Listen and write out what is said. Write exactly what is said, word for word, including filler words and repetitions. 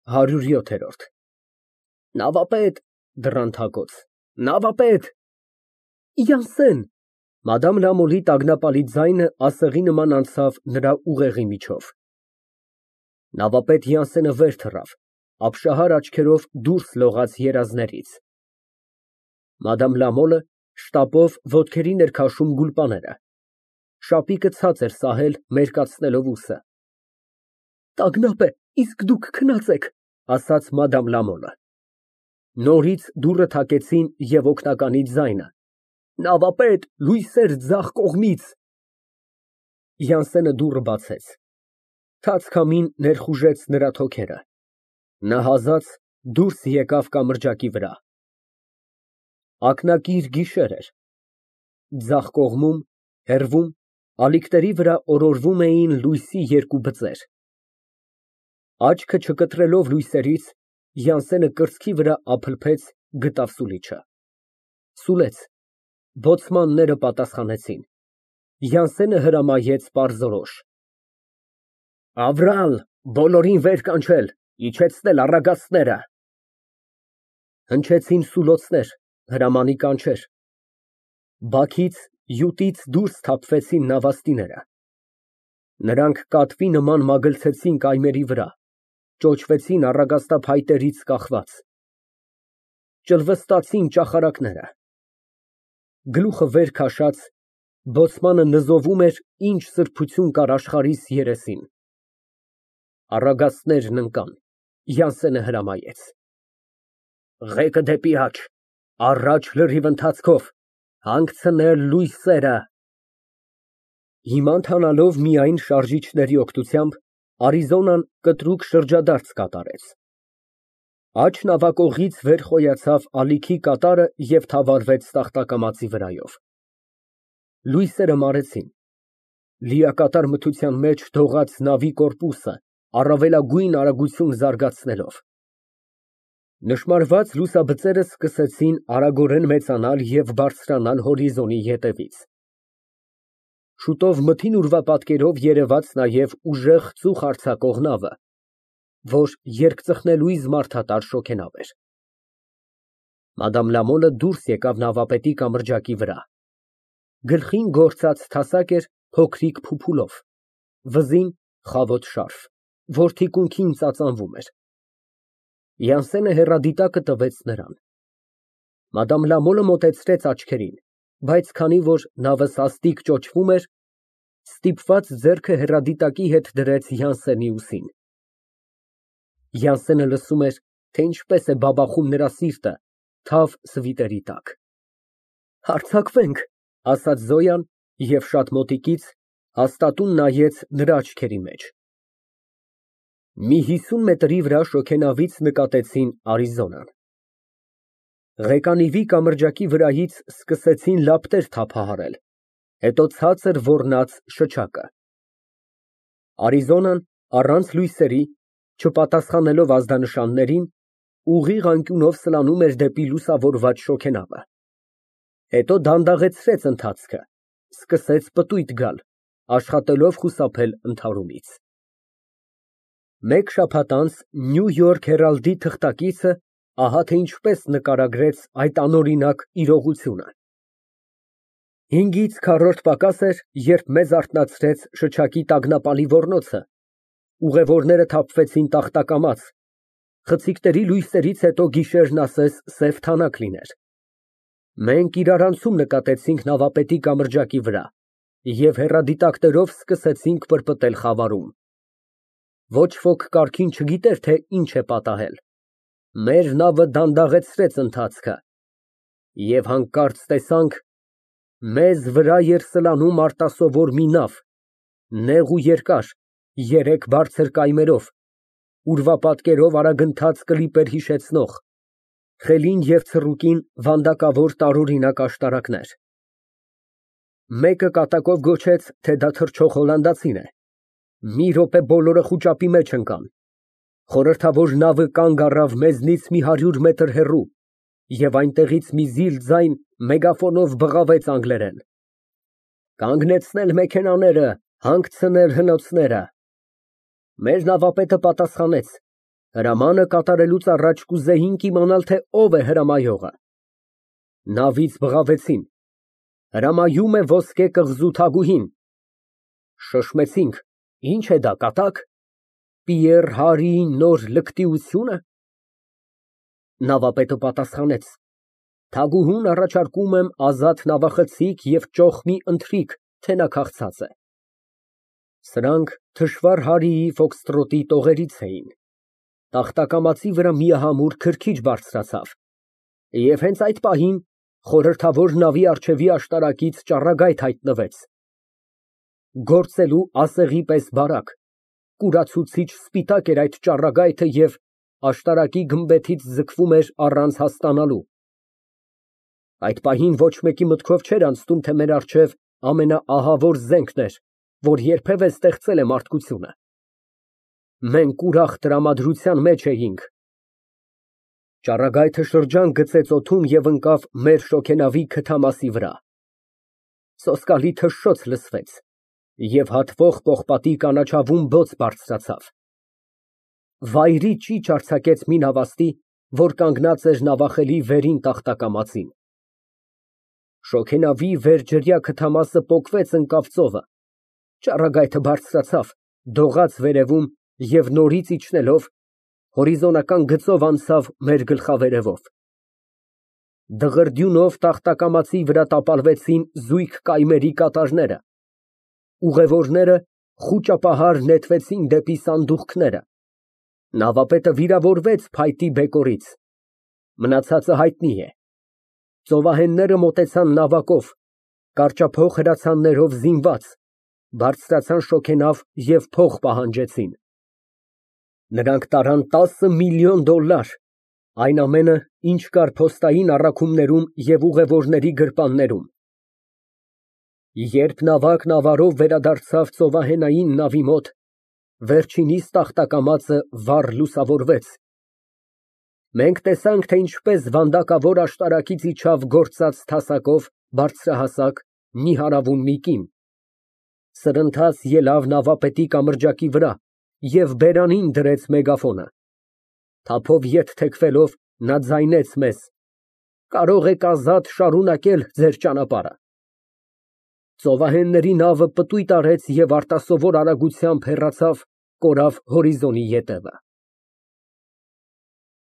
ՀԱՐՈՒՐՅՈԹԵՐՈՐԴ Նավապետ, դռան թակոց, նավապետ… Մադամ Լամոլի տագնապալի ձայնը ասեղի նման անցավ նրա ուղեղի միջով։ Նավապետ Յանսենը վեր թռավ, ապշահար աչքերով դուրս լողաց երազներից։ Մադամ շտապով ոտքերին էր քաշում գուլպաները, շապիկը ցած էր սահել, մերկացնելով ուսը։ Տագնապ է, իսկ դուք քնած եք, ասաց Մադամ Լամոլը։ Նորից դուռը թակեցին և օգնականի ձայնը. Նավապետ, լույսեր ձախ կողմից… Յանսենը բացեց դուռը, թաց քամին ներխուժեց նրա թոքերը, նա հազաց դուրս եկավ կամրջակի վրա։ Ակնակիր գիշեր էր, ձախ կողմում, հեռվում, ալիքների վրա օրորվում էին լույսի երկու բծեր։ Աչքը չկտրելով լույսերից, Յանսենը կրծքի վրա ափլփեց, գտավ սուլիչը։ Սուլեց, բոցմանները պատասխանեցին, Յանսենը հրամայեց պարզորոշ. Ավրալ, բոլորին վեր կանչել, իջեցնել առագաստները։ Հնչեցին սուլոցներ, հրամանի կանչեր, բաքից, յուտից դուրս թափվեցին նավաստիները։ Նրանք կատվի նման մագլցեցին կայմերի վրա, ճոճվեցին առագաստափայտերից կախված, ճլվստացին ճախարակները։ Գլուխը վեր քաշած, բոցմանը նզովում էր, ինչ սրբություն կար աշխարհիս երեսին։ Առագաստներն ընկան, Յանսենը հրամայեց. Ղեկը դեպի աջ, առաջ լրիվ ընթացքով, հանգցնել լույսերը։ Հիմա ընթանալով միայն շարժիչների օգնությամբ, Արիզոնան կտրուկ շրջադարձ կատարեց։ Աջ նավակողից վեր խոյացավ ալիքի կատարը և թավալվեց տախտակամածի վրայով։ Լույսերը մարեցին, լիակատար մթության մեջ դողաց նավի կորպուսը, առավելագույն արագություն զարգացնելով։ Նշմարված լուսաբծերը սկսեցին արագորեն մեծանալ և բարձրանալ հորիզոնի ետևից։ Շուտով մթին ուրվապատկերով երևաց նաև ուժեղ ծուխ արձակող նավը, որ երկծխնելույզ մարդատար շոգենավ էր։ Մադամ դուրս եկավ նավապետի կամրջակի վրա։ Գլխին գործած թասակ էր փոքրիկ փուփուլով, վզին խավոտ շարֆ, որ թիկունքին ծածանվում էր։ Յանսենը հեռադիտակը տվեց նրան։ Մադամ մոտեցրեց աչքերին, բայց քանի որ նավը սաստիկ ճոճվում էր, ստիպված ձեռքը հեռադիտակի հետ դրեց Յանսենի ուսին։ Յանսենը լսում էր, թե ինչպես է բաբախում նրա սիրտը թավ սվիտերի տակ։ Հարձակվենք, ասաց Զոյան և շատ մոտիկից հաստատուն նայեց նրա աչքերի մեջ։ Մի հիսուն մետրի վրա շոգենավից նկատեցին Արիզոնան։ Ղեկանիվի կամրջակի վրայից սկսեցին լապտեր թափահարել, հետո ցածր ոռնաց շչակը։ Արիզոնան առանց լույսերի, չպատասխանելով ազդանշաններին, ուղիղ անկյունով սլանում էր դեպի լուսավորված շոգենավը։ Հետո դանդաղեցրեց ընթացքը, սկսեց պտույտ գալ, աշխատելով խուսափել ընդհարումից։ Մեկ շաբաթ անց Նյու Յորք Հերալդի թղթակիցը ահա թե ինչպես նկարագրեց այդ անօրինակ իրողությունը։ Հինգից քառորդ պակաս էր, երբ մեզ արթնացրեց շչակի տագնապալի ոռնոցը, ուղևորները թափվեցին տախտակամաց, խցիկների լույսերից հետո գիշերն ասես սև թանաք լիներ։ Մենք իրարանցում նկատեցինք նավապետի կամրջակի վրա և հեռադիտակներով սկսեցինք պրպտել խավարում։ Ոչ ոք կարգին չգիտեր, թե ինչ է պատահել։ Մեր նավը դանդաղեցրեց ընթացքը և հանկարծ տեսանք մեզ վրա էր սլանում արտասովոր մի նավ, նեղ ու երկար, երեք բարձր կայմերով, ուրվապատկերով արագընթաց կլիպեր հիշեցնող, խելին և ցռուկին վանդակավոր տարօրինակ աշտարակներ։ Մեկը կատակով գոչեց, թե դա թռչող հոլանդացին է։ Մի րոպե բոլորը խուճապի մեջ ընկան։ Խորհրդավոր նավը կանգ առավ մեզնից մի հարյուր մետր հեռու, և այնտեղից մի զիլ ձայն մեգաֆոնով բղավեց անգլերեն. «Կանգնեցնել մեքենաները, հանգցնել հնոցները»։ Մեր նավապետը պատասխանեց. Հրամանը կատարելուց առաջ կուզեինք իմանալ, թե ով է հրամայողը։ Նավից բղավեցին. հրամայում է ոսկե կղզու թագուհին։ Շշմեցինք. ինչ է դա, կատակ, Պիեռ Հարիի նոր լկտիությո՞ւնը։ Նավապետը պատասխանեց. թագուհուն առաջարկում եմ ազատ նավախցիկ և ճոխ մի ընթրիք, թե նա քաղցած է։ Սրանք թշվառ Հարիի ֆոքստրոտի տողերից էին։ Տախտակամածի վրա միահամուռ քրքիջ բարձրացավ, և հենց այդ պահին խորհրդավոր նավի առջևի աշտարակից ճառագայթ հայտնվեց։ Գործելու ասեղի պես բարակ, կուրացուցիչ սպիտակ էր այդ ճառագայթը և աշտարակի գմբեթից ձգվում էր առանց հասկանալու։ Այդ պահին ոչ մեկի մտքով չէր անցնում, թե մեր առջև ամենաահավոր զենքն էր, որ երբևէ ստեղծել է մարդկությունը։ Մենք ուրախ տրամադրության մեջ էինք։ Ճառագայթը շրջան գծեց օդում և ընկավ մեր շոգենավի քթամասի վրա։ Սոսկալի թշշոց լսվեց, և հատվող պողպատի կանաչավուն բոց բարձրացավ։ Վայրի ճիչ արձակեց մի նավաստի, որ կանգնած էր նավախելի վերին տախտակամածին։ Շոգենավի վերջրյա քթամասը պոկվեց ընկավ ծովը, ճառագայթը բարձրացավ, դողաց վերևում և նորից իջնելով, հորիզոնական գծով անցավ մեր գլխավերևով։ Դղրդյունով տախտակամածի վրա տապալվեցին զույգ կայմերի կատարները, ուղևորները խուճապահար նետվեցին դեպի սանդուղքները, նավապետը վիրավորվեց փայտի բեկորից, մնացածը հայտնի է։ Ծովահենները մոտեցան նավակով, կարճափող հրացաններով զինված, բարձրացան շոգենավ և փող պահանջեցին։ Նրանք տարան տասը միլիոն դոլլար, այն ամենը, ինչ կար փոստային առաքումներում և ուղևորների գրպաններում։ Երբ նավակն ավարով վերադարձավ ծովահենային նավի մոտ, վերջինիս տախտակամածը վառ լուսավորվեց։ Մենք տեսանք, թե ինչպես վանդակավոր աշտարակից իջավ գործած թասակով բարձրահասակ, նիհարավուն մի կին, սրընթաց ելավ նավապետի կամրջակի վրա և բերանին դրեց մեգաֆոնը։ Թափով ետ թեքվելով, նա ձայնեց մեզ. «Կարող եք ազատ շարունակել ձեր ճանապարհը»։ Ծովահենների նավը պտույտ արեց և արտասովոր արագությամբ հեռացավ, կորավ հորիզոնի ետևը։